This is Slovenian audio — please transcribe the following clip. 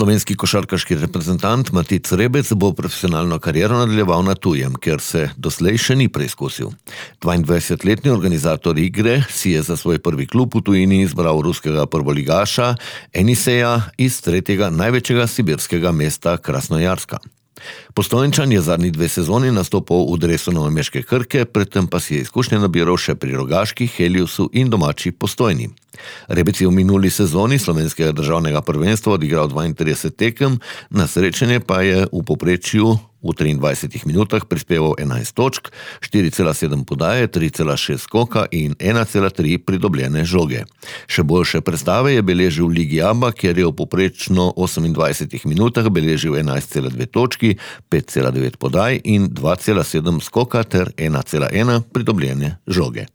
Slovenski košarkarski reprezentant Matic Rebec bo profesionalno kariero nadaljeval na tujem, ker se doslej še ni preizkusil. 22-letni organizator igre si je za svoj prvi klub v tujini izbral ruskega prvoligaša Eniseja iz tretjega največjega sibirskega mesta Krasnojarska. Postojnčan je zadnji 2 sezoni nastopal v dresu novomeške Krke, predtem pa si je izkušnje nabiral še pri Rogaški, Heliusu in domači Postojni. Rebec je v minuli sezoni slovenskega državnega prvenstva odigral 32 tekem, na srečanje pa je v povprečju v 23 minutah prispeval 11 točk, 4,7 podaje, 3,6 skoka in 1,3 pridobljene žoge. Še boljše predstave je beležil v Ligi ABA, kjer je v povprečno 28 minutah beležil 11,2 točki, 5,9 podaj in 2,7 skoka ter 1,1 pridobljene žoge.